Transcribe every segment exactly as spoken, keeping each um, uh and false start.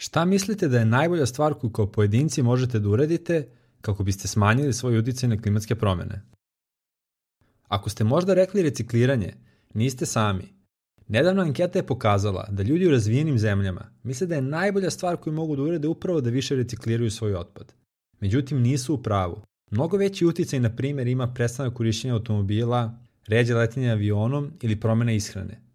Šta mislite da je najbolja stvar koju kao pojedinci možete da uradite kako biste smanjili svoj uticaj na klimatske promene? Ako ste možda rekli recikliranje, niste sami. Nedavna anketa je pokazala da ljudi u razvijenim zemljama misle da je najbolja stvar koju mogu da urade upravo da više recikliraju svoj otpad. Međutim, nisu u pravu. Mnogo veći uticaj, na primjer, ima prestanak korišćenja automobila, ređe letenja avionom ili promjena ishrane.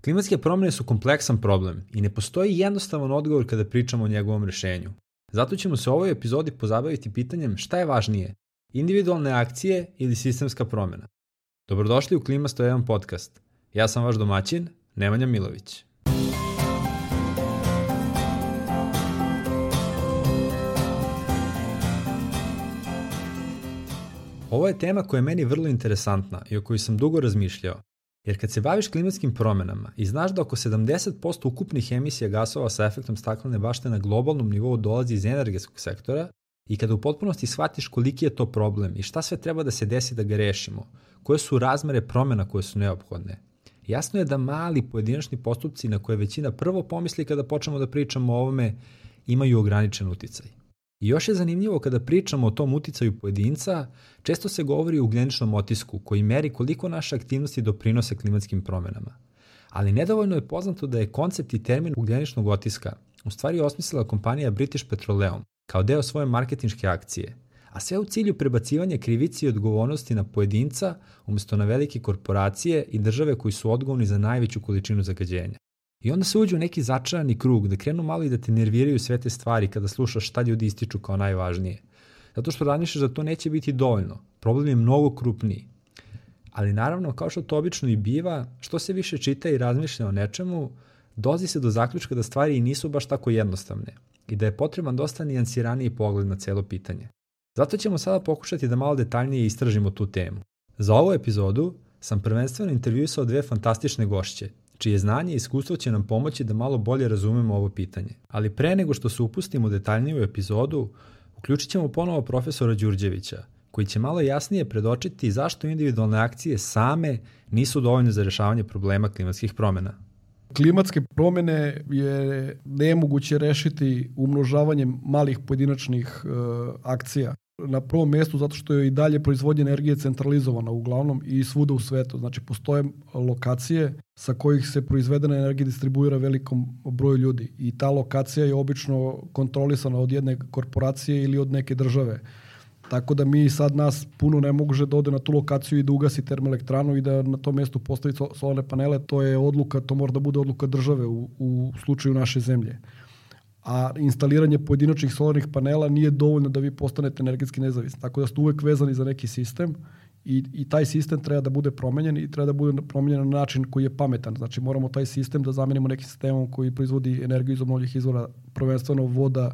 Klimatske promjene su kompleksan problem i ne postoji jednostavan odgovor kada pričamo o njegovom rešenju. Zato ćemo se u ovoj epizodi pozabaviti pitanjem šta je važnije, individualne akcije ili sistemska promjena. Dobrodošli u Klima sto jedan podcast. Ja sam vaš domaćin, Nemanja Milović. Ovo je tema koja je meni vrlo interesantna i o kojoj sam dugo razmišljao. Jer kad se baviš klimatskim promjenama i znaš da oko sedamdeset posto ukupnih emisija gasova sa efektom staklene bašte na globalnom nivou dolazi iz energetskog sektora i kada u potpunosti shvatiš koliki je to problem i šta sve treba da se desi da ga rešimo, koje su razmere promjena koje su neophodne, jasno je da mali pojedinačni postupci na koje većina prvo pomisli kada počnemo da pričamo o ovome imaju ograničen uticaj. I još je zanimljivo kada pričamo o tom uticaju pojedinca, često se govori o ugljeničnom otisku koji meri koliko naše aktivnosti doprinose klimatskim promjenama. Ali nedovoljno je poznato da je koncept i termin ugljeničnog otiska u stvari osmislila kompanija British Petroleum kao deo svoje marketinške akcije, a sve u cilju prebacivanja krivice i odgovornosti na pojedinca umjesto na velike korporacije i države koji su odgovorni za najveću količinu zagađenja. I onda se uđe u neki začarani krug da krenu malo i da te nerviraju sve te stvari kada slušaš šta ljudi ističu kao najvažnije. Zato što razmišljaš da to neće biti dovoljno. Problem je mnogo krupniji. Ali naravno, kao što to obično i biva, što se više čita i razmišlja o nečemu, dolazi se do zaključka da stvari i nisu baš tako jednostavne i da je potreban dosta nijansiraniji pogled na celo pitanje. Zato ćemo sada pokušati da malo detaljnije istražimo tu temu. Za ovu epizodu sam prvenstveno intervjuisao dve fantastične gošće, čije znanje i iskustvo će nam pomoći da malo bolje razumemo ovo pitanje. Ali pre nego što se upustimo detaljnije u epizodu, uključit ćemo ponovo profesora Đurđevića, koji će malo jasnije predočiti zašto individualne akcije same nisu dovoljne za rešavanje problema klimatskih promjena. Klimatske promjene je nemoguće rešiti umnožavanjem malih pojedinačnih uh, akcija. Na prvom mjestu zato što je i dalje proizvodnja energije centralizovana uglavnom i svuda u svetu. Znači postoje lokacije sa kojih se proizvedena energija distribuira velikom broju ljudi i ta lokacija je obično kontrolisana od jedne korporacije ili od neke države. Tako da mi sad nas puno ne može da ode na tu lokaciju i da ugasi termoelektranu i da na tom mjestu postavi solarne panele. To je odluka, to mora da bude odluka države u, u slučaju naše zemlje. A instaliranje pojedinačnih solarnih panela nije dovoljno da vi postanete energetski nezavisni. Tako da ste uvek vezani za neki sistem i, i taj sistem treba da bude promenjen i treba da bude promenjen na način koji je pametan. Znači moramo taj sistem da zamenimo nekim sistemom koji proizvodi energiju iz obnovljivih izvora, prvenstveno voda,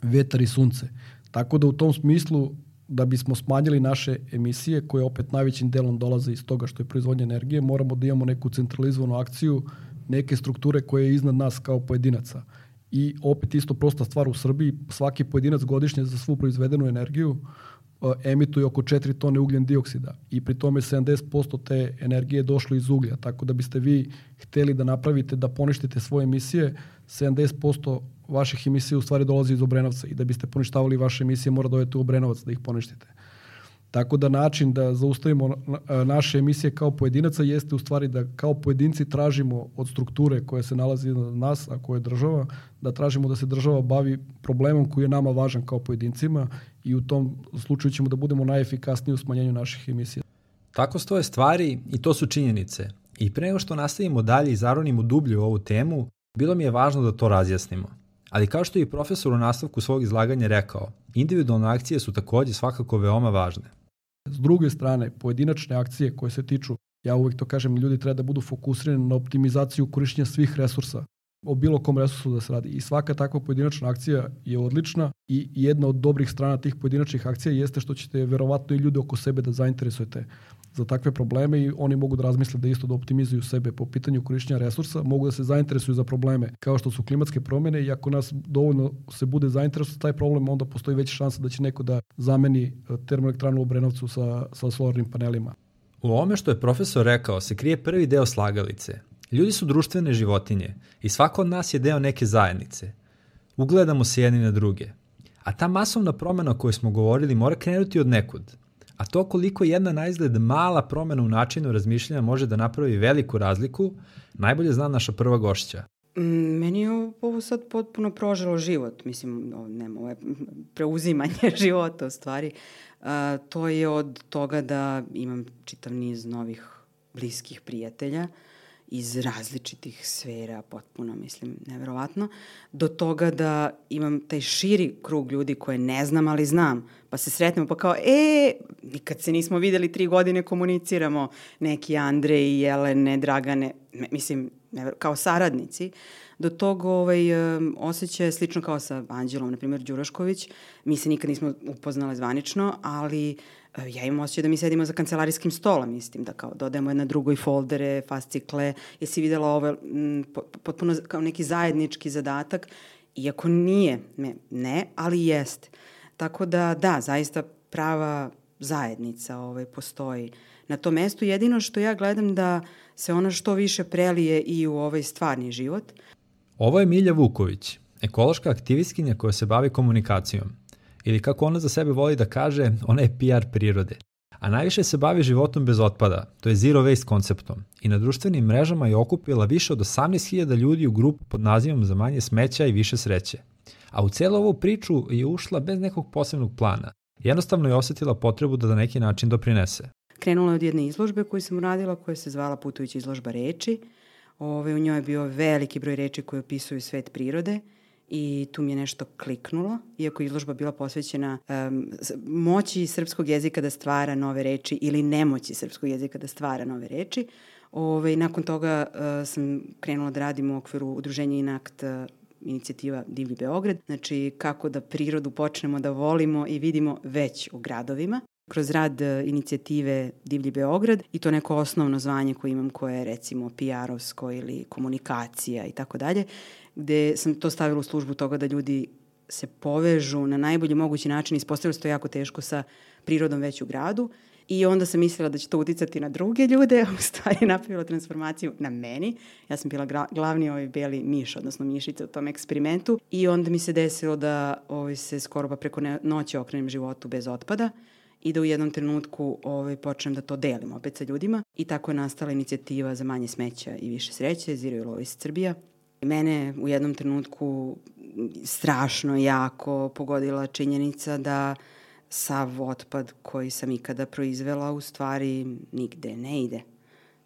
vetar i sunce. Tako da u tom smislu da bismo smanjili naše emisije koje opet najvećim delom dolaze iz toga što je proizvodnja energije, moramo da imamo neku centralizovanu akciju, neke strukture koje je iznad nas kao pojedinaca. I opet isto prosta stvar u Srbiji, svaki pojedinac godišnje za svu proizvedenu energiju uh, emituje oko četiri tone ugljen dioksida i pri tome sedamdeset posto te energije došlo iz uglja. Tako da biste vi hteli da napravite, da poništite svoje emisije, sedamdeset posto vaših emisija u stvari dolazi iz Obrenovca i da biste poništavali vaše emisije mora dovesti u Obrenovac da ih poništite. Tako da način da zaustavimo naše emisije kao pojedinaca jeste u stvari da kao pojedinci tražimo od strukture koja se nalazi iznad nas, a koja je država, da tražimo da se država bavi problemom koji je nama važan kao pojedincima i u tom slučaju ćemo da budemo najefikasniji u smanjenju naših emisija. Tako stoje stvari i to su činjenice. I pre nego što nastavimo dalje i zaronimo dublje u ovu temu, bilo mi je važno da to razjasnimo. Ali kao što je i profesor u nastavku svog izlaganja rekao, individualne akcije su također svakako veoma važne. S druge strane, pojedinačne akcije koje se tiču, ja uvijek to kažem, ljudi treba da budu fokusirani na optimizaciju korištenja svih resursa, o bilo kom resursu da se radi. I svaka takva pojedinačna akcija je odlična i jedna od dobrih strana tih pojedinačnih akcija jeste što ćete verovatno i ljude oko sebe da zainteresujete za takve probleme i oni mogu da razmisle da isto da optimizuju sebe po pitanju korištenja resursa, mogu da se zainteresuju za probleme kao što su klimatske promjene i ako nas dovoljno se bude zainteresovati taj problem, onda postoji veća šansa da će neko da zameni termoelektranu u Obrenovcu sa, sa solarnim panelima. U ovome što je profesor rekao se krije prvi deo slagalice. Ljudi su društvene životinje i svako od nas je deo neke zajednice. ugledamo se jedni na druge. A ta masovna promena o kojoj smo govorili mora krenuti od nekud. A to koliko jedna na izgled mala promena u načinu razmišljanja može da napravi veliku razliku, najbolje zna naša prva gošća. Meni je ovo sad potpuno proželo život. Mislim, nema, ovo je preuzimanje života u stvari. Uh, to je od toga da imam čitav niz novih bliskih prijatelja iz različitih sfera, potpuno, mislim, neverovatno, do toga da imam taj širi krug ljudi koje ne znam, ali znam, pa se sretnemo, pa kao, e, nikad se nismo videli, tri godine komuniciramo, neki Andrej, Jelene, Dragane, mislim, kao saradnici, do tog ovaj, osjećaja slično kao sa Anđelom, na primjer, Đurašković, mi se nikad nismo upoznale zvanično, ali ja imam osjećaj da mi sedimo za kancelarijskim stolom, mislim, da kao dodajemo jedna drugoj foldere, fascikle, jesi videla ovo, m, potpuno kao neki zajednički zadatak, iako nije, ne, ne, ali jeste. Tako da, da, zaista prava zajednica ovaj, postoji na tom mestu. Jedino što ja gledam da se ona što više prelije i u ovaj stvarni život. Ovo je Milja Vuković, ekološka aktivistkinja koja se bavi komunikacijom. Ili kako ona za sebe voli da kaže, ona je P R prirode. A najviše se bavi životom bez otpada, to je zero waste konceptom. I na društvenim mrežama je okupila više od osamnaest hiljada ljudi u grupu pod nazivom Za manje smeća i više sreće. A u celu ovu priču je ušla bez nekog posebnog plana. Jednostavno je osetila potrebu da na neki način doprinese. Krenula je od jedne izložbe koju sam uradila, koja se zvala Putujuća izložba reči. Ove, u njoj je bio veliki broj reči koje opisuju svet prirode. I tu mi je nešto kliknulo, iako je izložba bila posvećena um, moći srpskog jezika da stvara nove reči ili nemoći srpskog jezika da stvara nove reči. Ove, nakon toga uh, sam krenula da radim u okviru udruženja Inakt uh, inicijativa Divlji Beograd. Znači kako da prirodu počnemo da volimo i vidimo već u gradovima. Kroz rad uh, inicijative Divlji Beograd i to neko osnovno zvanje koje imam koje je recimo P R-ovsko ili komunikacija i tako dalje, gde sam to stavila u službu toga da ljudi se povežu na najbolji mogući način. Ispostavilo se to jako teško sa prirodom već u gradu i onda sam mislila da će to uticati na druge ljude, u stvari napravila transformaciju na meni. Ja sam bila gra- glavni ovaj beli miš, odnosno mišica u tom eksperimentu i onda mi se desilo da ovaj, se skoro pa preko noći okrenem životu bez otpada i da u jednom trenutku ovaj, počnem da to delim opet sa ljudima i tako je nastala inicijativa Za manje smeća i više sreće, Zero Waste Srbija. Mene u jednom trenutku strašno jako pogodila činjenica da sav otpad koji sam ikada proizvela u stvari nigde ne ide.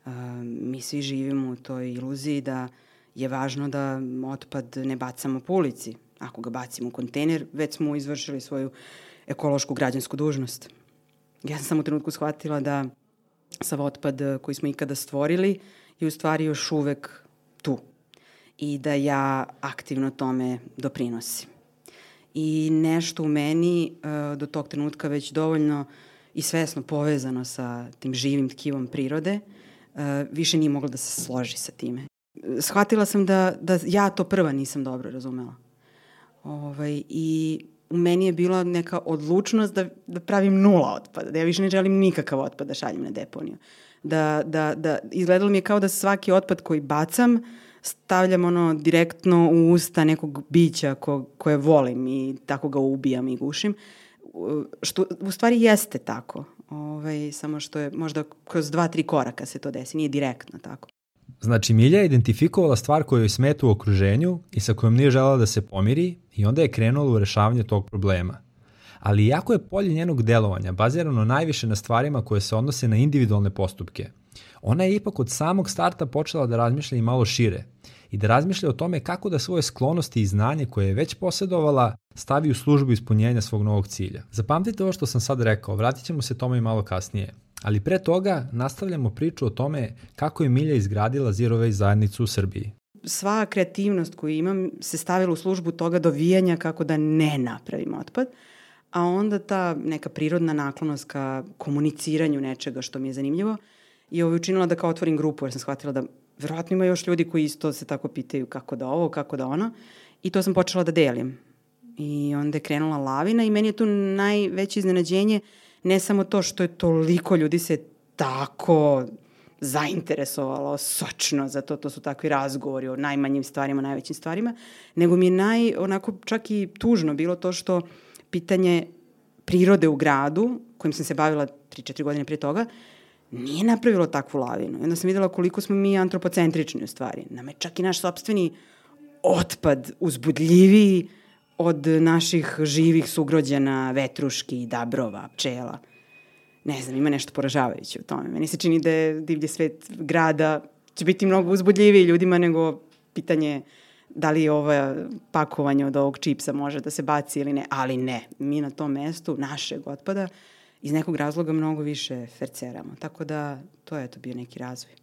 Uh, mi svi živimo u toj iluziji da je važno da otpad ne bacamo po ulici. Ako ga bacimo u kontejner, već smo izvršili svoju ekološku građansku dužnost. Ja sam u trenutku shvatila da sav otpad koji smo ikada stvorili je u stvari još uvek tu i da ja aktivno tome doprinosim. I nešto u meni uh, do tog trenutka već dovoljno i svesno povezano sa tim živim tkivom prirode, uh, više nije moglo da se složi sa time. Shvatila sam da, da ja to prva nisam dobro razumela. Ovaj, I u meni je bila neka odlučnost da, da pravim nula otpada, da ja više ne želim nikakav otpad da šaljem na deponiju. Da, da, da, izgledalo mi je kao da svaki otpad koji bacam stavljam ono direktno u usta nekog bića ko, koje volim i tako ga ubijam i gušim. Što u stvari jeste tako. Ovaj, samo što je možda kroz dva, tri koraka se to desi, nije direktno tako. Znači Milja je identifikovala stvar koja joj smeta u okruženju i sa kojom nije želela da se pomiri i onda je krenula u rešavanje tog problema. Ali iako je polje njenog delovanja bazirano najviše na stvarima koje se odnose na individualne postupke, ona je ipak od samog starta počela da razmišlja i malo šire i da razmišlja o tome kako da svoje sklonosti i znanje koje je već posjedovala stavi u službu ispunjenja svog novog cilja. Zapamtite ovo što sam sad rekao, vratit ćemo se tome i malo kasnije. Ali pre toga nastavljamo priču o tome kako je Milja izgradila Zero Waste zajednicu u Srbiji. Sva kreativnost koju imam se stavila u službu toga dovijanja kako da ne napravim otpad, a onda ta neka prirodna naklonost ka komuniciranju nečega što mi je zanimljivo je ovo učinila da kao otvorim grupu, jer sam shvatila da verovatno ima još ljudi koji isto se tako pitaju kako da ovo, kako da ono, i to sam počela da delim. I onda je krenula lavina i meni je tu najveće iznenađenje ne samo to što je toliko ljudi se tako zainteresovalo sočno za to, to su takvi razgovori o najmanjim stvarima, najvećim stvarima, nego mi je naj, onako čak i tužno bilo to što pitanje prirode u gradu, kojim sam se bavila tri četiri godine prije toga, nije napravilo takvu lavinu. I onda sam videla koliko smo mi antropocentrični u stvari. Nam je čak i naš sopstveni otpad uzbudljiviji od naših živih sugrođena, vetruški, dabrova, pčela. Ne znam, ima nešto poražavajuće u tome. Meni se čini da je divlji svet grada će biti mnogo uzbudljiviji ljudima nego pitanje da li ovo pakovanje od ovog čipsa može da se baci ili ne. Ali ne, mi na tom mestu našeg otpada iz nekog razloga mnogo više ferceramo. Tako da to je to bio neki razvoj.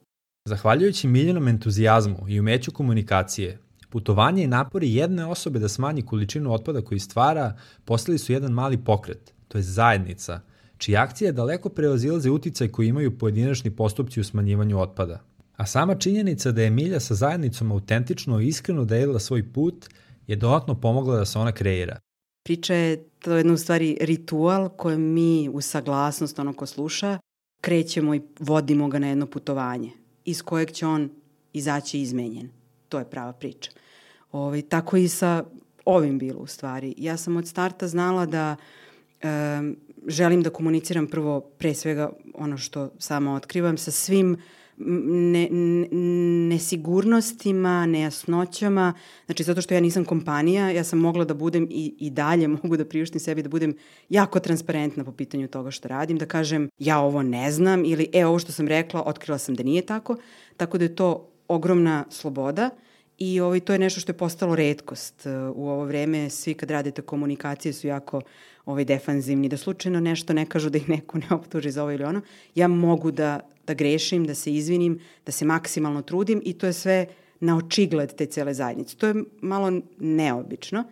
Zahvaljujući Miljenom entuzijazmu i umeću komunikacije, putovanje i napori jedne osobe da smanji količinu otpada koji stvara postali su jedan mali pokret, to je zajednica, čija akcija daleko prevazilaze uticaj koji imaju pojedinačni postupci u smanjivanju otpada. A sama činjenica da je Milja sa zajednicom autentično i iskreno delila svoj put je dodatno pomogla da se ona kreira. Priča je to jedno u stvari ritual kojem mi u saglasnost ono ko sluša krećemo i vodimo ga na jedno putovanje iz kojeg će on izaći izmenjen. To je prava priča. Ovaj, tako i sa ovim bilo u stvari. Ja sam od starta znala da um, želim da komuniciram prvo pre svega ono što sama otkrivam sa svim ne, ne, nesigurnostima, nejasnoćama. Znači, zato što ja nisam kompanija, ja sam mogla da budem i, i dalje mogu da priuštim sebi da budem jako transparentna po pitanju toga što radim, da kažem ja ovo ne znam ili e, ovo što sam rekla, otkrila sam da nije tako. Tako da je to ogromna sloboda i ovaj, to je nešto što je postalo retkost. U ovo vreme svi kad radite komunikacije su jako ovaj, defanzivni, da slučajno nešto ne kažu, da ih neko ne optuži za ovo ili ono. Ja mogu da, da grešim, da se izvinim, da se maksimalno trudim i to je sve na očigled te cele zajednice. To je malo neobično.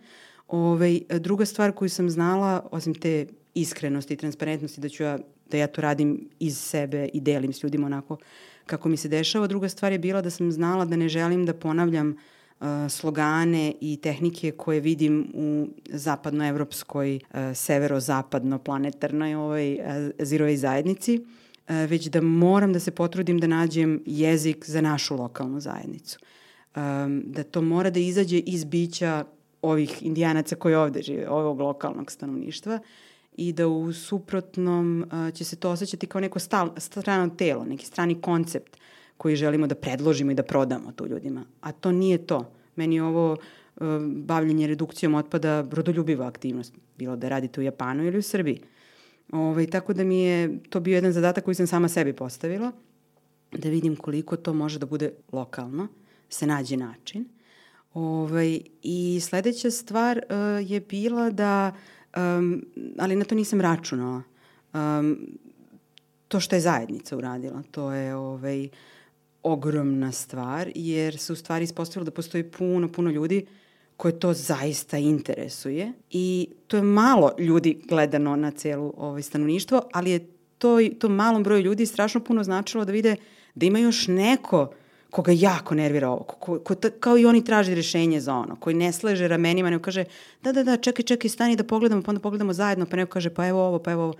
Ovaj, druga stvar koju sam znala, osim te iskrenosti i transparentnosti, da ću ja, da ja to radim iz sebe i delim s ljudima onako kako mi se dešava. Druga stvar je bila da sam znala da ne želim da ponavljam uh, slogane i tehnike koje vidim u zapadnoevropskoj, uh, severo-zapadno-planetarnoj ovaj, uh, Zero Waste zajednici, uh, već da moram da se potrudim da nađem jezik za našu lokalnu zajednicu. Um, da to mora da izađe iz bića ovih indijanaca koji ovde žive, ovog lokalnog stanovništva, i da u suprotnom uh, će se to osjećati kao neko stal, strano telo, neki strani koncept koji želimo da predložimo i da prodamo tu ljudima. A to nije to. Meni je ovo uh, bavljenje redukcijom otpada rodoljubiva aktivnost, bilo da radite u Japanu ili u Srbiji. Ove, tako da mi je to bio jedan zadatak koji sam sama sebi postavila, da vidim koliko to može da bude lokalno, se nađe način. Ove, I sledeća stvar uh, je bila da Um, ali na to nisam računala. Um, to što je zajednica uradila, to je ovaj, ogromna stvar, jer se u stvari ispostavilo da postoji puno, puno ljudi koje to zaista interesuje i to je malo ljudi gledano na celu ovaj, stanovništvo, ali je to, to malom broju ljudi strašno puno značilo da vide da ima još neko koga jako nervira ovo, ko, ko, ko, kao i oni traži rešenje za ono, koji ne sleže ramenima, nego kaže da, da, da, čekaj, čekaj, stani da pogledamo, pa onda pogledamo zajedno, pa neko kaže pa evo ovo, pa evo ovo.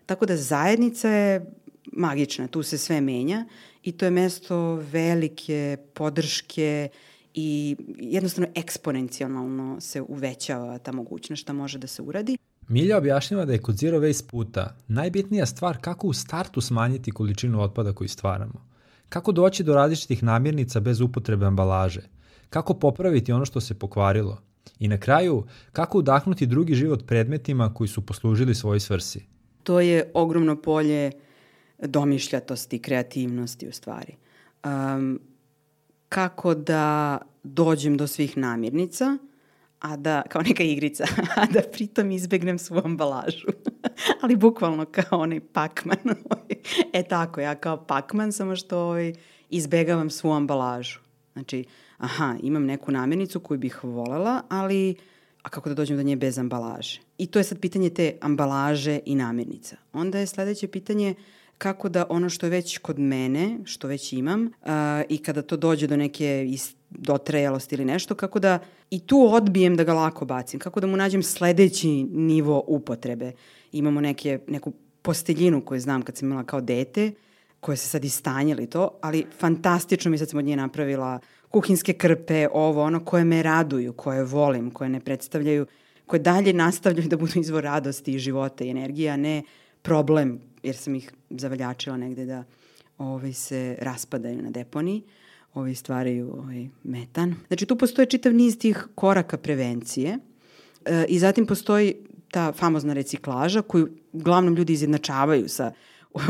Tako da zajednica je magična, tu se sve menja i to je mesto velike podrške i jednostavno eksponencijalno se uvećava ta mogućnost šta može da se uradi. Milja objašnjava da je kod Zero Waste puta najbitnija stvar kako u startu smanjiti količinu otpada koju stvaramo. Kako doći do različitih namirnica bez upotrebe ambalaže? Kako popraviti ono što se pokvarilo? I na kraju, kako udahnuti drugi život predmetima koji su poslužili svojoj svrsi? To je ogromno polje domišljatosti, kreativnosti u stvari. Um, kako da dođem do svih namirnica, a da, kao neka igrica, a da pritom izbegnem svu ambalažu. Ali bukvalno kao onaj Pac-Man. E tako, ja kao Pac-Man, samo što ovaj, izbegavam svu ambalažu. Znači, aha, imam neku namirnicu koju bih volela, ali a kako da dođem do nje bez ambalaže? I to je sad pitanje te ambalaže i namirnica. Onda je sledeće pitanje kako da ono što je već kod mene, što već imam, uh, i kada to dođe do neke dotrajalosti ili nešto, kako da i tu odbijem da ga lako bacim, kako da mu nađem sledeći nivo upotrebe. Imamo neke, neku posteljinu koju znam kad sam imala kao dete, koje se sad istanjili to, ali fantastično mi sad sam od nje napravila kuhinske krpe, ovo, ono, koje me raduju, koje volim, koje ne predstavljaju, koje dalje nastavljaju da budu izvor radosti i života i energije, a ne problem, jer sam ih zavaljačila negde da ovaj, se raspadaju na deponiji, ovaj, stvaraju ovaj, metan. Znači tu postoje čitav niz tih koraka prevencije e, i zatim postoji ta famozna reciklaža koju uglavnom ljudi izjednačavaju sa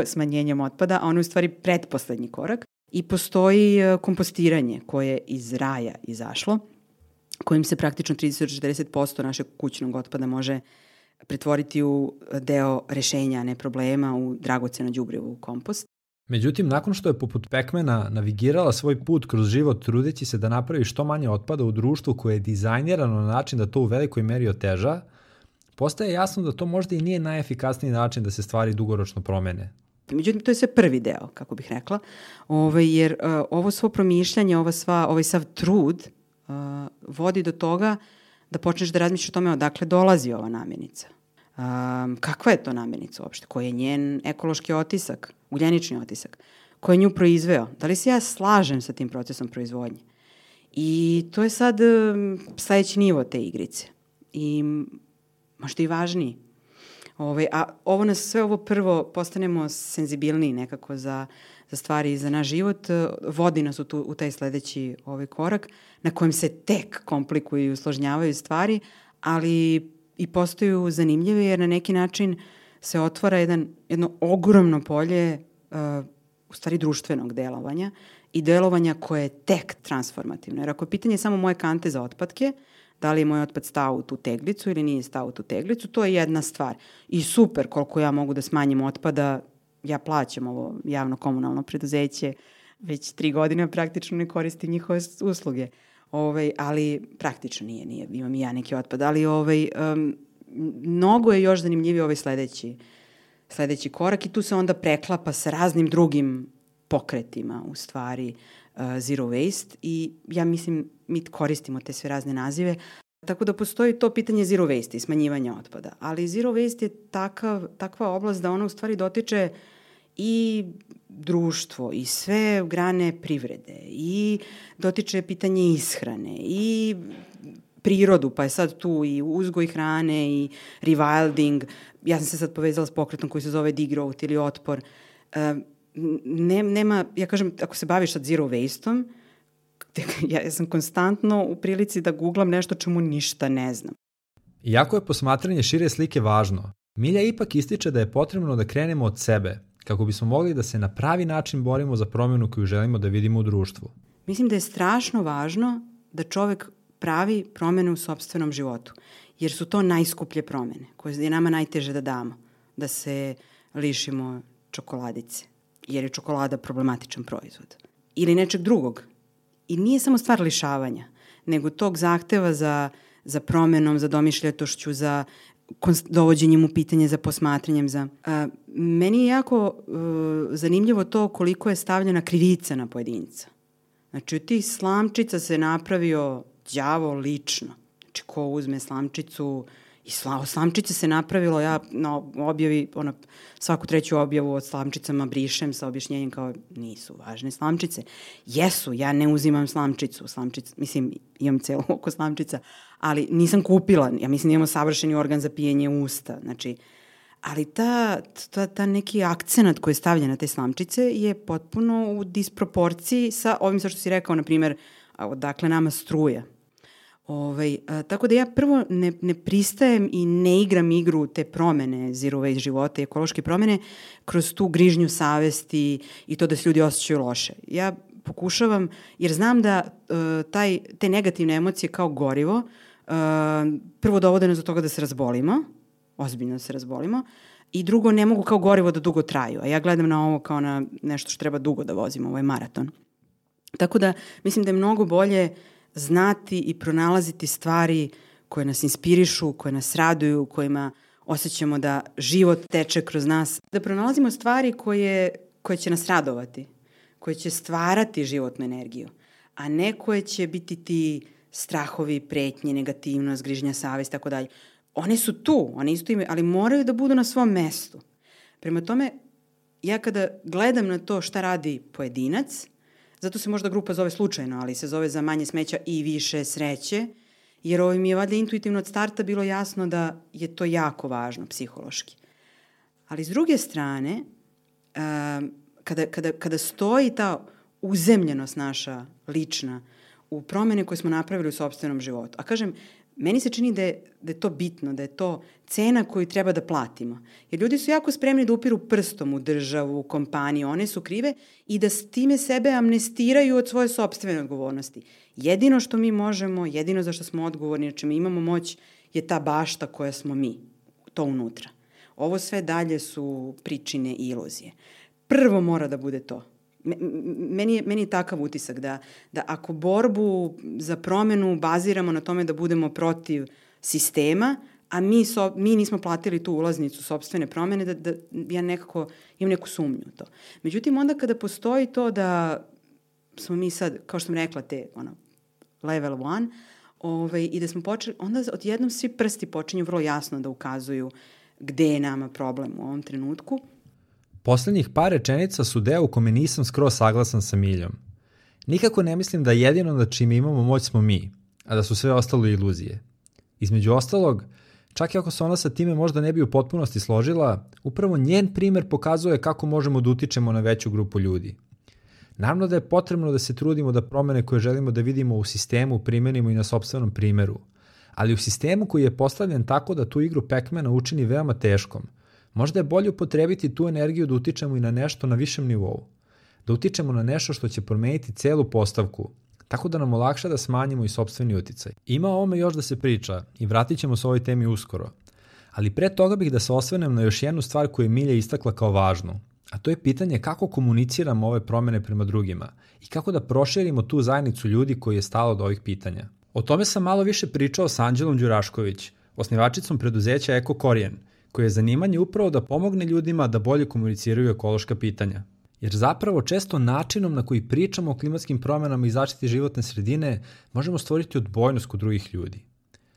smanjenjem otpada, a ono je u stvari pretposlednji korak. I postoji kompostiranje koje je iz raja izašlo, kojim se praktično trideset do četrdeset posto našeg kućnog otpada može pretvoriti u deo rešenja, a ne problema, u dragoceno đubrivo, u kompost. Međutim, nakon što je poput pekmena navigirala svoj put kroz život trudeći se da napravi što manje otpada u društvu koje je dizajnirano na način da to u velikoj meri oteža, postaje jasno da to možda i nije najefikasniji način da se stvari dugoročno promene. Međutim, to je sve prvi deo, kako bih rekla, Ove, jer uh, ovo svo promišljanje, ova sva, ovaj sav trud uh, vodi do toga da počneš da razmišljaš o tome odakle dolazi ova namirnica. Um, kakva je to namirnica uopšte? Koji je njen ekološki otisak, ugljenični otisak? Ko je nju proizveo? Da li se ja slažem sa tim procesom proizvodnje? I to je sad um, sledeći nivo te igrice. I možda i važniji. Ove, a ovo nas sve ovo prvo postanemo senzibilniji nekako za, za stvari i za naš život, vodi nas u, tu, u taj sledeći ovaj korak na kojem se tek komplikuju i usložnjavaju stvari, ali i postaju zanimljive jer na neki način se otvara jedan, jedno ogromno polje uh, u stvari društvenog delovanja i delovanja koje je tek transformativno. Jer ako je pitanje samo moje kante za otpadke, da li je moj otpad stao u tu teglicu ili nije stao u tu teglicu, to je jedna stvar. I super, koliko ja mogu da smanjim otpada, ja plaćam ovo javno komunalno preduzeće, već tri godine praktično ne koristim njihove usluge. Ovaj, ali praktično nije, nije, imam i ja neki otpad, ali ovaj, um, mnogo je još zanimljiviji ovaj sledeći, sledeći korak i tu se onda preklapa sa raznim drugim pokretima, u stvari, uh, zero waste i ja mislim mi koristimo te sve razne nazive, tako da postoji to pitanje zero waste i smanjivanja otpada, ali zero waste je takav, takva oblast da ona u stvari dotiče i društvo i sve grane privrede i dotiče pitanje ishrane i prirodu, pa je sad tu i uzgoj hrane i rewilding. Ja sam se sad povezala s pokretom koji se zove degrowth ili otpor. Ne, nema, ja kažem, ako se baviš sad zero waste-om, ja, ja sam konstantno u prilici da googlam nešto čemu ništa ne znam. Iako je posmatranje šire slike važno, Milja ipak ističe da je potrebno da krenemo od sebe, kako bismo mogli da se na pravi način borimo za promjenu koju želimo da vidimo u društvu. Mislim da je strašno važno da čovek pravi promjene u sopstvenom životu, jer su to najskuplje promjene, koje je nama najteže da damo, da se lišimo čokoladice, jer je čokolada problematičan proizvod. Ili nečeg drugog. I nije samo stvar lišavanja, nego tog zahteva za, za promjenom, za domišljatošću, za dovođenjem u pitanje, za posmatranjem. Za, a, meni je jako a, zanimljivo to koliko je stavljena krivica na pojedinca. Znači, od tih slamčica se napravio đavo lično. Znači, ko uzme slamčicu i sla, slamčice se napravilo, ja na objavi, ono, svaku treću objavu od slamčicama brišem sa objašnjenjem kao nisu važne slamčice. Jesu, ja ne uzimam slamčicu, slamčicu, mislim, imam celo oko slamčica, ali nisam kupila, ja mislim da imamo savršeni organ za pijenje usta, znači, ali ta, ta, ta neki akcenat koji je stavljen na te slamčice je potpuno u disproporciji sa ovim sa što si rekao, na primjer, odakle nama struja. Ovaj, a, tako da ja prvo ne, ne pristajem i ne igram igru te promene zero waste života i ekološke promene kroz tu grižnju savesti i to da se ljudi osjećaju loše. Ja pokušavam, jer znam da uh, taj, te negativne emocije kao gorivo uh, prvo dovode nas do toga da se razbolimo, ozbiljno da se razbolimo, i drugo ne mogu kao gorivo da dugo traju, a ja gledam na ovo kao na nešto što treba dugo da vozimo, ovo je maraton. Tako da mislim da je mnogo bolje znati i pronalaziti stvari koje nas inspirišu, koje nas raduju, kojima osjećamo da život teče kroz nas. Da pronalazimo stvari koje, koje će nas radovati, koje će stvarati životnu energiju, a ne koje će biti ti strahovi, pretnje, negativnost, grižnja savest, tako dalje. One su tu, one isto imaju, ali moraju da budu na svom mestu. Prema tome, ja kada gledam na to šta radi pojedinac, zato se možda grupa zove slučajno, ali se zove za manje smeća i više sreće, jer ovo mi je valjda intuitivno od starta bilo jasno da je to jako važno psihološki. Ali s druge strane, kada, kada, kada stoji ta uzemljenost naša lična u promene koje smo napravili u sopstvenom životu, a kažem, meni se čini da je, da je to bitno, da je to cena koju treba da platimo. Jer ljudi su jako spremni da upiru prstom u državu, u kompaniju, one su krive i da s time sebe amnestiraju od svoje sopstvene odgovornosti. Jedino što mi možemo, jedino za što smo odgovorni, znači mi imamo moć, je ta bašta koja smo mi, to unutra. Ovo sve dalje su pričine i iluzije. Prvo mora da bude to. Meni je, meni je takav utisak da, da ako borbu za promenu baziramo na tome da budemo protiv sistema, a mi, so, mi nismo platili tu ulaznicu sopstvene promene, da, da ja nekako imam neku sumnju u to. Međutim, onda kada postoji to da smo mi sad, kao što sam rekla, te ono, level one, ovaj, i da smo počeli, onda odjednom svi prsti počinju vrlo jasno da ukazuju gde je nama problem u ovom trenutku. Poslednjih par rečenica su deo u kome nisam skroz saglasan sa Miljom. Nikako ne mislim da jedino na čime imamo moć smo mi, a da su sve ostalo iluzije. Između ostalog, čak i ako se ona sa time možda ne bi u potpunosti složila, upravo njen primer pokazuje kako možemo da utičemo na veću grupu ljudi. Naravno da je potrebno da se trudimo da promene koje želimo da vidimo u sistemu primenimo i na sopstvenom primeru, ali u sistemu koji je postavljen tako da tu igru Pac-Mana učini veoma teškom, možda je bolje upotrebiti tu energiju da utičemo i na nešto na višem nivou, da utičemo na nešto što će promeniti celu postavku, tako da nam olakša da smanjimo i sopstveni uticaj. Ima o ovome još da se priča i vratit ćemo se ovoj temi uskoro, ali pre toga bih da se osvrnem na još jednu stvar koju je Milja istakla kao važnu, a to je pitanje kako komuniciramo ove promene prema drugima i kako da proširimo tu zajednicu ljudi koji je stalo od ovih pitanja. O tome sam malo više pričao sa Anđelom Đurašković, osnivačicom preduzeća Eko Korijen, koje je zanimanje upravo da pomogne ljudima da bolje komuniciraju ekološka pitanja. Jer zapravo često načinom na koji pričamo o klimatskim promenama i zaštiti životne sredine možemo stvoriti odbojnost kod drugih ljudi.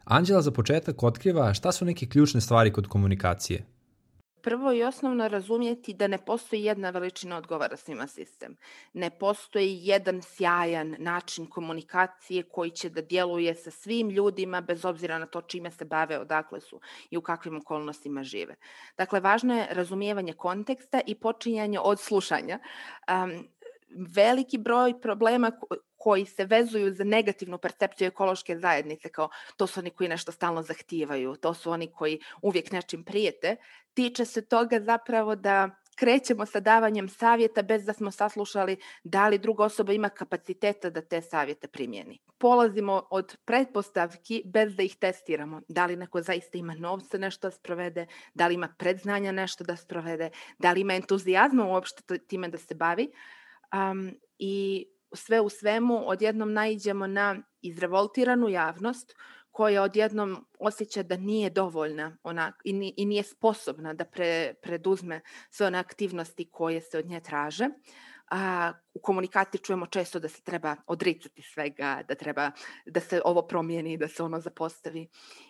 Anđela za početak otkriva šta su neke ključne stvari kod komunikacije. Prvo i osnovno razumjeti da ne postoji jedna veličina odgovara svima sistem. Ne postoji jedan sjajan način komunikacije koji će da djeluje sa svim ljudima bez obzira na to čime se bave, odakle su i u kakvim okolnostima žive. Dakle, važno je razumijevanje konteksta i počinjanje od slušanja. Um, veliki broj problema koji se vezuju za negativnu percepciju ekološke zajednice, kao to su oni koji nešto stalno zahtijevaju, to su oni koji uvijek nečim prijete, tiče se toga zapravo da krećemo sa davanjem savjeta bez da smo saslušali da li druga osoba ima kapaciteta da te savjete primjeni. Polazimo od pretpostavki bez da ih testiramo. Da li neko zaista ima novca nešto da sprovede, da li ima predznanja nešto da sprovede, da li ima entuzijazma uopšte time da se bavi. Um, I sve u svemu odjednom naiđemo na izrevoltiranu javnost koja odjednom osjeća da nije dovoljna ona, i, i nije sposobna da pre, preduzme sve one aktivnosti koje se od nje traže. A, u komunikaciji čujemo često da se treba odricati svega, da treba da se ovo promijeni, da se ono zapostavi.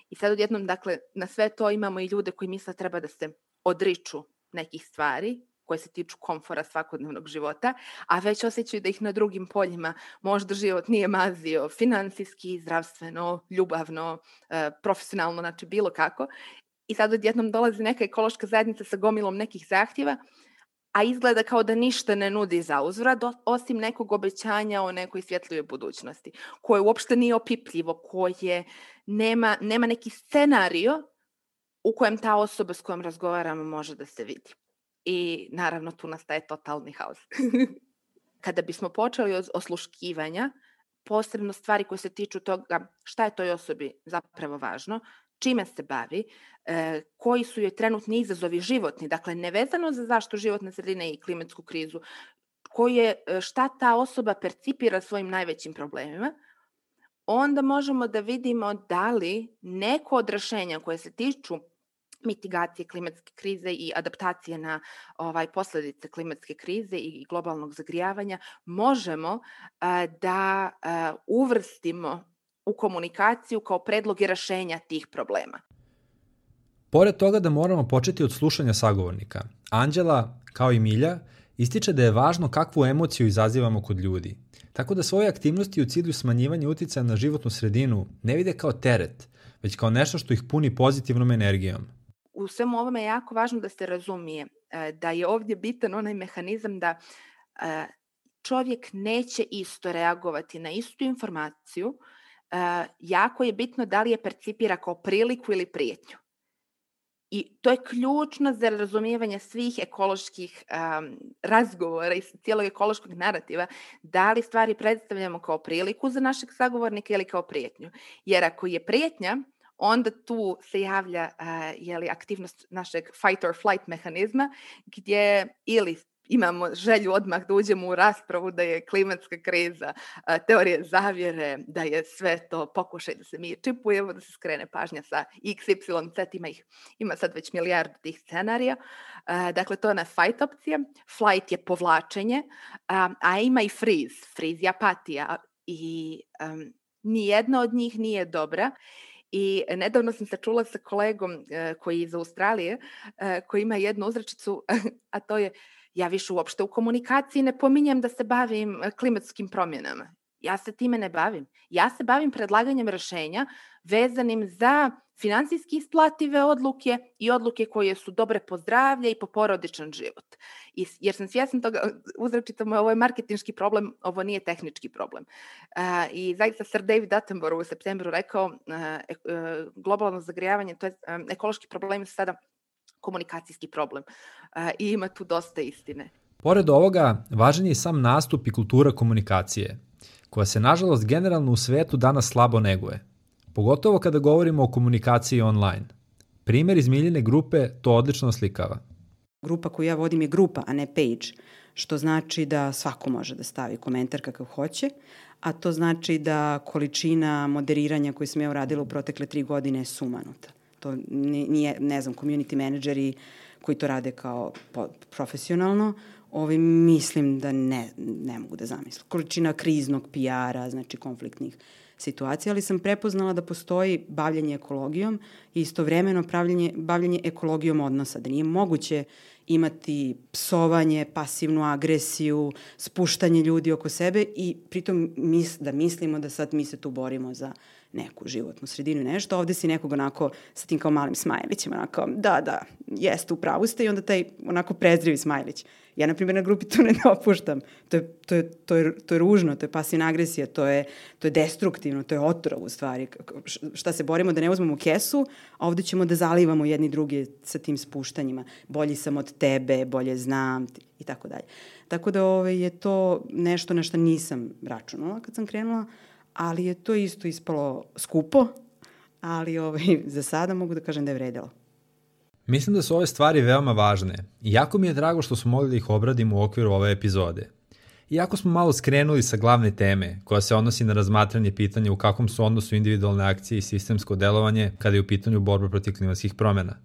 I sad odjednom, dakle, na sve to imamo i ljude koji misle treba da se odriču nekih stvari koje se tiču komfora svakodnevnog života, a već osjećaju da ih na drugim poljima možda život nije mazio financijski, zdravstveno, ljubavno, profesionalno, znači bilo kako. I sad odjednom dolazi neka ekološka zajednica sa gomilom nekih zahtjeva, a izgleda kao da ništa ne nudi za uzvrat, osim nekog obećanja o nekoj svjetlijoj budućnosti, koje uopšte nije opipljivo, koje nema, nema neki scenario u kojem ta osoba s kojom razgovaramo može da se vidi. I naravno tu nastaje totalni haos. Kada bismo počeli od osluškivanja, posebno stvari koje se tiču toga šta je toj osobi zapravo važno, čime se bavi, e, koji su joj trenutni izazovi životni, dakle nevezano za zaštitu životne sredine i klimatsku krizu, koji je, šta ta osoba percipira svojim najvećim problemima, onda možemo da vidimo da li neko od rješenja koje se tiču mitigacije klimatske krize i adaptacije na ovaj posljedice klimatske krize i globalnog zagrijavanja možemo a, da a, uvrstimo u komunikaciju kao predloge rješenja tih problema. Pored toga da moramo početi od slušanja sagovornika, Anđela, kao i Milja, ističe da je važno kakvu emociju izazivamo kod ljudi, tako da svoje aktivnosti u cilju smanjivanja uticaja na životnu sredinu ne vide kao teret, već kao nešto što ih puni pozitivnom energijom. U svemu ovome je jako važno da se razumije da je ovdje bitan onaj mehanizam da čovjek neće isto reagovati na istu informaciju. Jako je bitno da li je percipira kao priliku ili prijetnju. I to je ključno za razumijevanje svih ekoloških um, razgovora i cijelog ekološkog narativa, da li stvari predstavljamo kao priliku za našeg sagovornika ili kao prijetnju. Jer ako je prijetnja, onda tu se javlja uh, jeli, aktivnost našeg fight or flight mehanizma, gdje ili imamo želju odmah da uđemo u raspravu da je klimatska kriza, teorije zavjere, da je sve to pokušaj da se mi čipujemo, da se skrene pažnja sa iks ipsilon zet, ima, ih, ima sad već milijardu tih scenarija. Dakle, to je ona fight opcija. Flight je povlačenje, a ima i freeze. Freeze je apatija i um, nijedna od njih nije dobra. I nedavno sam se čula sa kolegom uh, koji je iz Australije, uh, koji ima jednu uzrečicu, a to je: ja više uopšte u komunikaciji ne pominjem da se bavim klimatskim promjenama. Ja se time ne bavim. Ja se bavim predlaganjem rješenja vezanim za finansijski isplative odluke i odluke koje su dobre po zdravlje i po porodičan život. I, jer sam svjesna toga, uzrečitom, ovo je marketinški problem, ovo nije tehnički problem. Uh, I zaista Sir David Attenborough u septembru rekao, uh, uh, globalno zagrijavanje, to je um, ekološki problem sada komunikacijski problem. Uh, I ima tu dosta istine. Pored ovoga, važan je i sam nastup i kultura komunikacije, koja se nažalost generalno u svetu danas slabo neguje. Pogotovo kada govorimo o komunikaciji online. Primjer iz Miljine grupe to odlično oslikava. Grupa koju ja vodim je grupa, a ne page, što znači da svako može da stavi komentar kakav hoće, a to znači da količina moderiranja koju sam ja uradila u protekle tri godine je sumanuta. To nije, ne znam, community menadžeri koji to rade kao profesionalno, ovi mislim da ne, ne mogu da zamislim. Količina kriznog P R-a, znači konfliktnih situacija, ali sam prepoznala da postoji bavljanje ekologijom i istovremeno bavljanje, bavljanje ekologijom odnosa, da nije moguće imati psovanje, pasivnu agresiju, spuštanje ljudi oko sebe i pritom mis, da mislimo da sad mi se tu borimo za neku životnu sredinu i nešto. Ovde si nekog onako sa tim kao malim smajlićem, onako, da, da, jeste, u pravu ste, i onda taj onako prezrivi smajlić. Ja, na primjer, na grupi to ne dopuštam. To je, to je, to je, to je ružno, to je pasivna agresija, to je, to je destruktivno, to je otrov u stvari. Šta se borimo da ne uzmemo kesu, a ovde ćemo da zalivamo jedni drugi sa tim spuštanjima. Bolji sam od tebe, bolje znam i tako dalje. Tako da ove, je to nešto na što nisam računala kad sam krenula, ali je to isto ispalo skupo, ali ovaj, za sada mogu da kažem da je vredelo. Mislim da su ove stvari veoma važne i jako mi je drago što smo mogli da ih obradimo u okviru ove epizode. Iako smo malo skrenuli sa glavne teme, koja se odnosi na razmatranje pitanja u kakvom su odnosu individualne akcije i sistemsko delovanje kada je u pitanju borba protiv klimatskih promjena.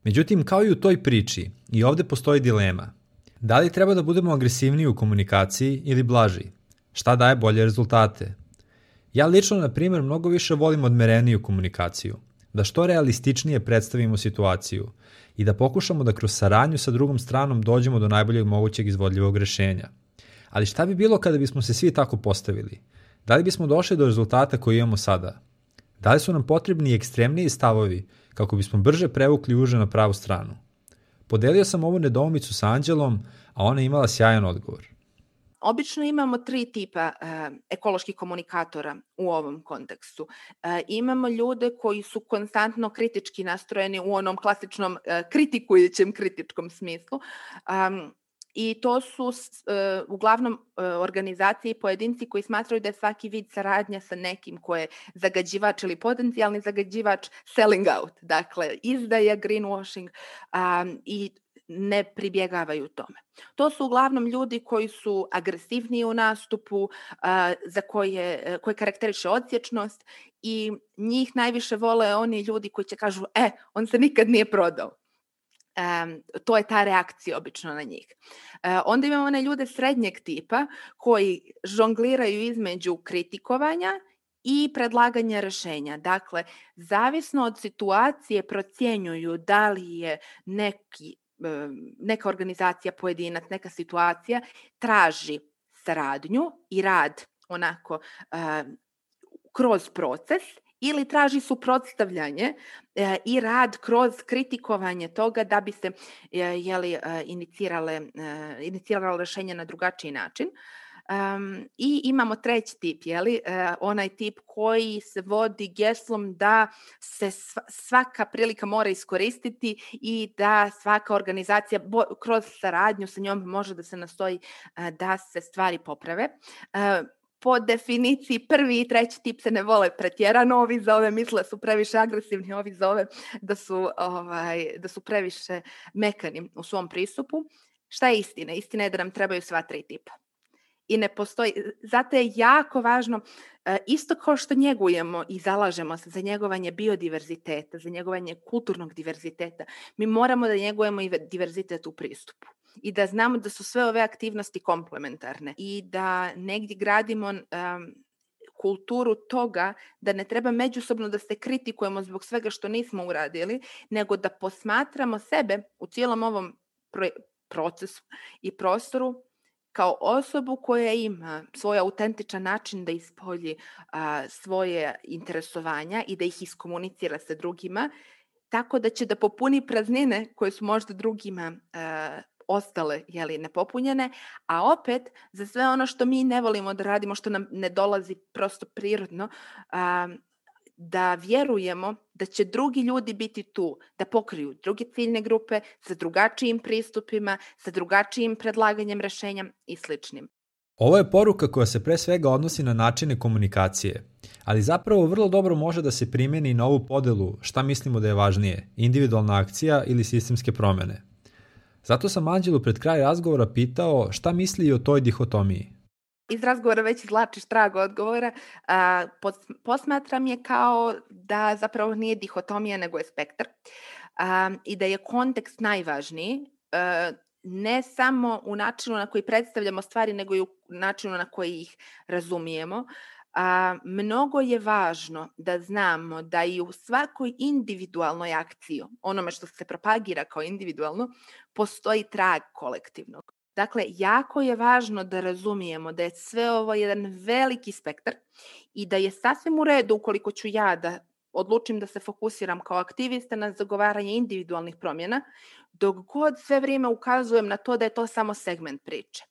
Međutim, kao i u toj priči, i ovde postoji dilema. Da li treba da budemo agresivniji u komunikaciji ili blaži? Šta daje bolje rezultate? Ja lično, na primjer, mnogo više volim odmereniju komunikaciju, da što realističnije predstavimo situaciju i da pokušamo da kroz saradnju sa drugom stranom dođemo do najboljeg mogućeg izvodljivog rešenja. Ali šta bi bilo kada bismo se svi tako postavili? Da li bismo došli do rezultata koji imamo sada? Da li su nam potrebni ekstremniji stavovi kako bismo brže prevukli uže na pravu stranu? Podelio sam ovu nedoumicu sa Anđelom, a ona je imala sjajan odgovor. Obično imamo tri tipa uh, ekoloških komunikatora u ovom kontekstu. Uh, imamo ljude koji su konstantno kritički nastrojeni u onom klasičnom uh, kritikujućem kritičkom smislu. Um, I to su uh, uglavnom uh, organizacije i pojedinci koji smatraju da je svaki vid saradnja sa nekim ko je zagađivač ili potencijalni zagađivač selling out. Dakle, izdaja, greenwashing um, i ne pribjegavaju tome. To su uglavnom ljudi koji su agresivniji u nastupu, uh, za koje, koje karakteriše odsječnost i njih najviše vole oni ljudi koji će kažu, e, on se nikad nije prodao. Um, to je ta reakcija obično na njih. Uh, onda imamo one ljude srednjeg tipa koji žongliraju između kritikovanja i predlaganje rešenja. Dakle, zavisno od situacije procjenjuju da li je neki, neka organizacija, pojedinac, neka situacija traži saradnju i rad onako kroz proces ili traži suprotstavljanje e, i rad kroz kritikovanje toga da bi se e, jeli, e, inicirale, e, inicirale rešenje na drugačiji način. Um, I imamo treći tip, jeli, e, onaj tip koji se vodi geslom da se svaka prilika mora iskoristiti i da svaka organizacija bo, kroz saradnju sa njom može da se nastoji e, da se stvari poprave. E, Po definiciji prvi i treći tip se ne vole pretjerano, ovi za ove misle su previše agresivni, ovi za ove da su, ovaj, da su previše mekani u svom pristupu. Šta je istina? Istina je da nam trebaju sva tri tipa. I ne postoji, zato je jako važno, isto kao što njegujemo i zalažemo se za njegovanje biodiverziteta, za njegovanje kulturnog diverziteta, mi moramo da njegujemo i diverzitet u pristupu. I da znamo da su sve ove aktivnosti komplementarne i da negdje gradimo um, kulturu toga da ne treba međusobno da se kritikujemo zbog svega što nismo uradili, nego da posmatramo sebe u cijelom ovom pro- procesu i prostoru kao osobu koja ima svoj autentičan način da ispolji a, svoje interesovanja i da ih iskomunicira sa drugima, tako da će da popuni praznine koje su možda drugima a, ostale, jeli, nepopunjene, a opet za sve ono što mi ne volimo da radimo, što nam ne dolazi prosto prirodno, a, da vjerujemo da će drugi ljudi biti tu, da pokriju druge ciljne grupe sa drugačijim pristupima, sa drugačijim predlaganjem rešenja i sličnim. Ovo je poruka koja se pre svega odnosi na načine komunikacije, ali zapravo vrlo dobro može da se primjeni na ovu podelu šta mislimo da je važnije, individualna akcija ili sistemske promene. Zato sam Anđelu pred kraj razgovora pitao šta misli i o toj dihotomiji. Iz razgovora već izvlačiš trag odgovora. A, posmatram je kao da zapravo nije dihotomija nego je spektar a, i da je kontekst najvažniji, a, ne samo u načinu na koji predstavljamo stvari, nego i u načinu na koji ih razumijemo. A, mnogo je važno da znamo da i u svakoj individualnoj akciji, onome što se propagira kao individualno, postoji trag kolektivnog. Dakle, jako je važno da razumijemo da je sve ovo jedan veliki spektar i da je sasvim u redu ukoliko ću ja da odlučim da se fokusiram kao aktivista na zagovaranje individualnih promjena, dok god sve vrijeme ukazujem na to da je to samo segment priče.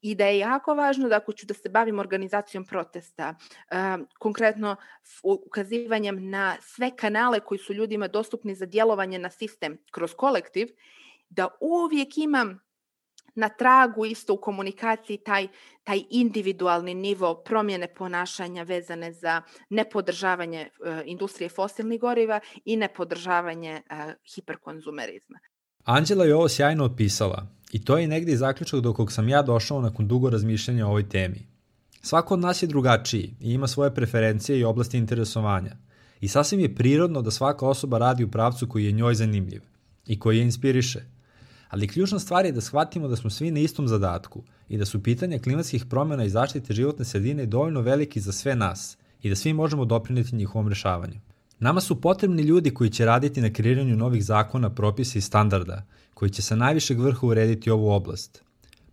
I da je jako važno da ako ću da se bavim organizacijom protesta, um, konkretno ukazivanjem na sve kanale koji su ljudima dostupni za djelovanje na sistem kroz kolektiv, da uvijek imam na tragu isto u komunikaciji taj, taj individualni nivo promjene ponašanja vezane za nepodržavanje uh, industrije fosilnih goriva i nepodržavanje uh, hiperkonzumerizma. Anđela je ovo sjajno opisala i to je negdje zaključak do kog sam ja došao nakon dugo razmišljanja o ovoj temi. Svako od nas je drugačiji i ima svoje preferencije i oblasti interesovanja i sasvim je prirodno da svaka osoba radi u pravcu koji je njoj zanimljiv i koji je inspiriše. Ali ključna stvar je da shvatimo da smo svi na istom zadatku i da su pitanja klimatskih promjena i zaštite životne sredine dovoljno veliki za sve nas i da svi možemo doprineti njihovom rešavanju. Nama su potrebni ljudi koji će raditi na kreiranju novih zakona, propisa i standarda, koji će sa najvišeg vrha urediti ovu oblast.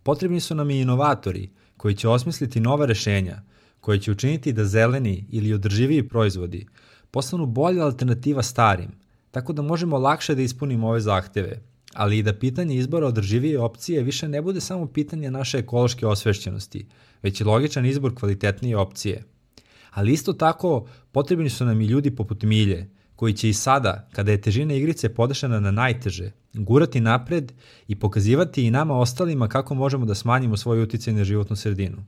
Potrebni su nam i inovatori koji će osmisliti nova rešenja, koji će učiniti da zeleni ili održiviji proizvodi postanu bolja alternativa starim, tako da možemo lakše da ispunimo ove zahteve, ali i da pitanje izbora održivije opcije više ne bude samo pitanje naše ekološke osvešćenosti, već i logičan izbor kvalitetnije opcije. Ali isto tako potrebni su nam i ljudi poput Milje, koji će i sada, kada je težina igrice podešena na najteže, gurati napred i pokazivati i nama ostalima kako možemo da smanjimo svoj uticaj na životnu sredinu.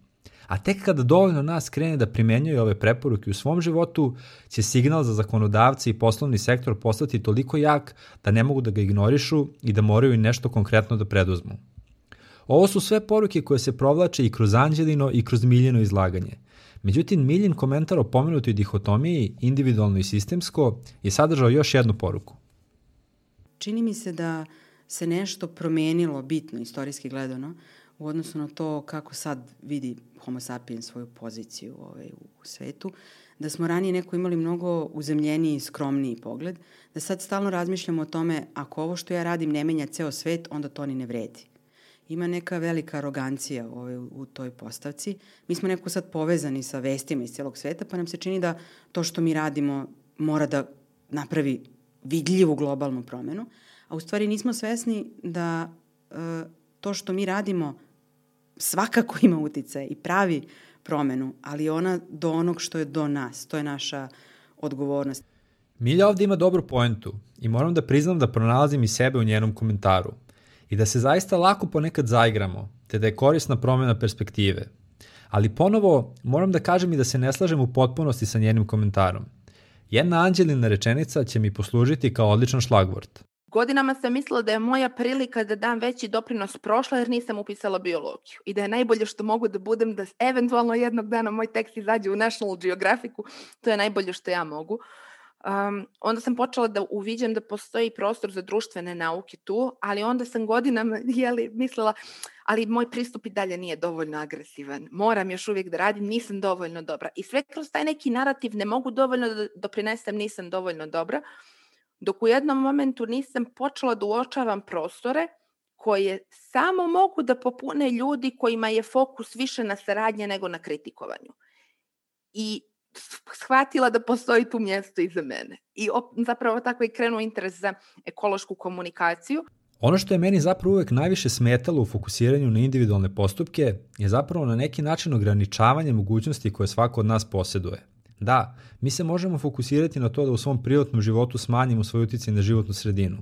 A tek kada dovoljno nas krene da primenjuje ove preporuke u svom životu, će signal za zakonodavce i poslovni sektor postati toliko jak da ne mogu da ga ignorišu i da moraju i nešto konkretno da preduzmu. Ovo su sve poruke koje se provlače i kroz Anđelino i kroz Miljino izlaganje. Međutim, Miljin komentar o pomenutoj dihotomiji, individualno i sistemsko, je sadržao još jednu poruku. Čini mi se da se nešto promenilo bitno, istorijski gledano, u odnosu na to kako sad vidi Homo sapiens svoju poziciju ovaj, u svetu, da smo ranije neko imali mnogo uzemljeniji, skromniji pogled, da sad stalno razmišljamo o tome ako ovo što ja radim ne menja ceo svet, onda to ni ne vredi. Ima neka velika arogancija ovaj, u toj postavci. Mi smo neko sad povezani sa vestima iz celog sveta, pa nam se čini da to što mi radimo mora da napravi vidljivu globalnu promenu, a u stvari nismo svesni da e, to što mi radimo svakako ima uticaj i pravi promenu, ali ona do onog što je do nas. To je naša odgovornost. Milja ovde ima dobru poentu i moram da priznam da pronalazim i sebe u njenom komentaru i da se zaista lako ponekad zaigramo, te da je korisna promena perspektive. Ali ponovo moram da kažem i da se ne slažem u potpunosti sa njenim komentarom. Jedna Anđelina rečenica će mi poslužiti kao odličan šlagvort. Godinama sam mislila da je moja prilika da dam veći doprinos prošla jer nisam upisala biologiju i da je najbolje što mogu da budem da eventualno jednog dana moj tekst izađe u National Geographicu, to je najbolje što ja mogu. Um, onda sam počela da uviđam da postoji prostor za društvene nauke tu, ali onda sam godinama jeli, mislila, ali moj pristup i dalje nije dovoljno agresivan, moram još uvijek da radim, nisam dovoljno dobra. I sve kroz taj neki narativ ne mogu dovoljno da doprinesem, nisam dovoljno dobra, dok u jednom momentu nisam počela da uočavam prostore koje samo mogu da popune ljudi kojima je fokus više na saradnje nego na kritikovanju. I shvatila da postoji tu mjesto i za mene. I op, zapravo tako je krenuo interes za ekološku komunikaciju. Ono što je meni zapravo uvek najviše smetalo u fokusiranju na individualne postupke je zapravo na neki način ograničavanje mogućnosti koje svako od nas posjeduje. Da, mi se možemo fokusirati na to da u svom privatnom životu smanjimo svoj uticaj na životnu sredinu,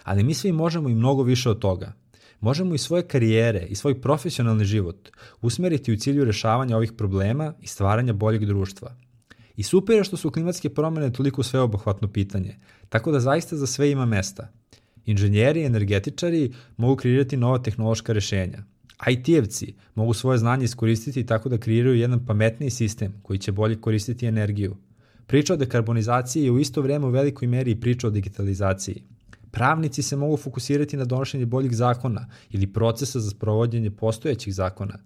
ali mi svi možemo i mnogo više od toga. Možemo i svoje karijere i svoj profesionalni život usmeriti u cilju rešavanja ovih problema i stvaranja boljeg društva. I super je što su klimatske promene toliko sveobuhvatno pitanje, tako da zaista za sve ima mesta. Inženjeri i energetičari mogu kreirati nova tehnološka rešenja. I T-evci mogu svoje znanje iskoristiti tako da kreiraju jedan pametniji sistem koji će bolje koristiti energiju. Priča o dekarbonizaciji je u isto vreme u velikoj meri i priča o digitalizaciji. Pravnici se mogu fokusirati na donošenje boljih zakona ili procesa za sprovođenje postojećih zakona.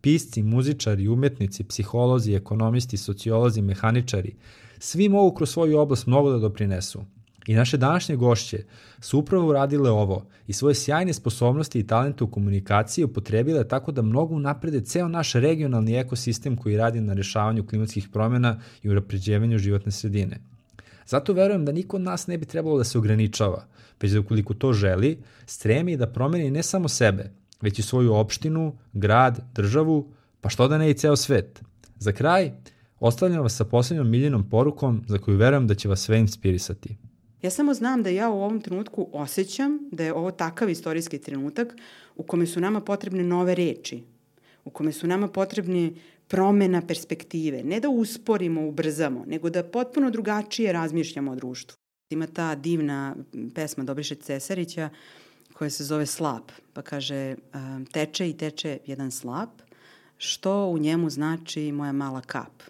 Pisci, muzičari, umetnici, psiholozi, ekonomisti, sociolozi, mehaničari, svi mogu kroz svoju oblast mnogo da doprinesu. I naše današnje gošće su upravo uradile ovo i svoje sjajne sposobnosti i talente u komunikaciji upotrebile tako da mnogo unaprede ceo naš regionalni ekosistem koji radi na rešavanju klimatskih promjena i unapređivanju životne sredine. Zato verujem da niko od nas ne bi trebalo da se ograničava, već da ukoliko to želi, stremi da promeni ne samo sebe, već i svoju opštinu, grad, državu, pa što da ne i ceo svet. Za kraj, ostavljam vas sa posljednjom Miljinom porukom za koju verujem da će vas sve inspirisati. Ja samo znam da ja u ovom trenutku osjećam da je ovo takav istorijski trenutak u kome su nama potrebne nove reči, u kome su nama potrebne promena perspektive. Ne da usporimo, ubrzamo, nego da potpuno drugačije razmišljamo o društvu. Ima ta divna pesma Dobriše Cesarića koja se zove Slap, pa kaže teče i teče jedan slap, što u njemu znači moja mala kap.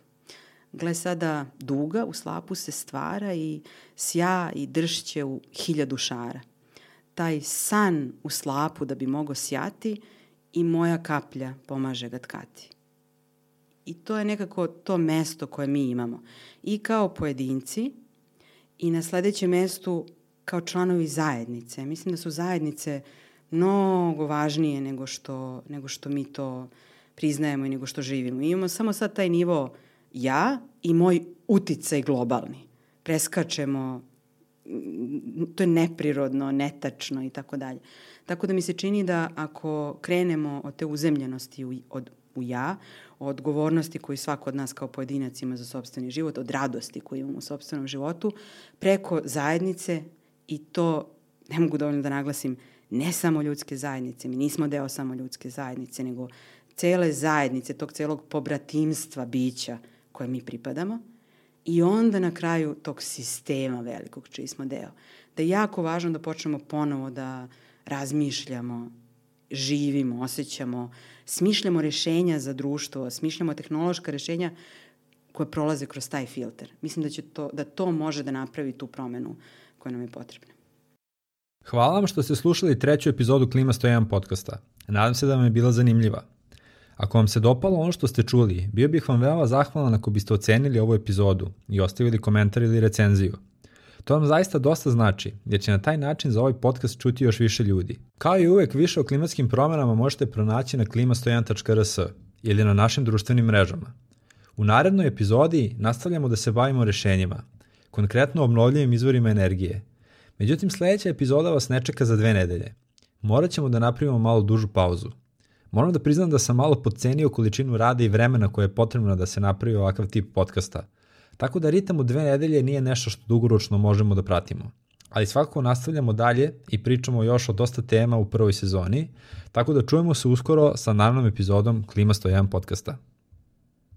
Gle sada duga u slapu se stvara i sja i dršće u hiljadu šara. Taj san u slapu da bi mogo sjati i moja kaplja pomaže ga tkati. I to je nekako to mesto koje mi imamo. I kao pojedinci i na sledećem mestu kao članovi zajednice. Mislim da su zajednice mnogo važnije nego što, nego što mi to priznajemo i nego što živimo. I imamo samo sad taj nivo ja i moj uticaj globalni. Preskačemo, to je neprirodno, netačno i tako dalje. Tako da mi se čini da ako krenemo od te uzemljenosti u, od, u ja, od odgovornosti koju svako od nas kao pojedinac ima za sopstveni život, od radosti koju imamo u sopstvenom životu, preko zajednice i to, ne mogu dovoljno da naglasim, ne samo ljudske zajednice, mi nismo deo samo ljudske zajednice, nego cele zajednice, tog celog pobratimstva bića koje mi pripadamo i onda na kraju tog sistema velikog čiji smo deo. Da je jako važno da počnemo ponovo da razmišljamo, živimo, osjećamo, smišljamo rešenja za društvo, smišljamo tehnološka rešenja koje prolaze kroz taj filter. Mislim da će to, da to može da napravi tu promenu koja nam je potrebna. Hvala vam što ste slušali treću epizodu Klima sto jedan podcasta. Nadam se da vam je bila zanimljiva. Ako vam se dopalo ono što ste čuli, bio bih vam veoma zahvalan ako biste ocenili ovu epizodu i ostavili komentar ili recenziju. To vam zaista dosta znači, jer će na taj način za ovaj podcast čuti još više ljudi. Kao i uvek, više o klimatskim promenama možete pronaći na klima sto jedan tačka r s ili na našim društvenim mrežama. U narednoj epizodi nastavljamo da se bavimo rešenjima, konkretno obnovljivim izvorima energije. Međutim, sledeća epizoda vas ne čeka za dve nedelje. Morat ćemo da napravimo malo dužu pauzu. Moram da priznam da sam malo podcenio količinu rada i vremena koje je potrebno da se napravi ovakav tip podcasta. Tako da ritam u dve nedelje nije nešto što dugoročno možemo da pratimo. Ali svakako nastavljamo dalje i pričamo još o dosta tema u prvoj sezoni, tako da čujemo se uskoro sa narednom epizodom Klima sto jedan podcasta.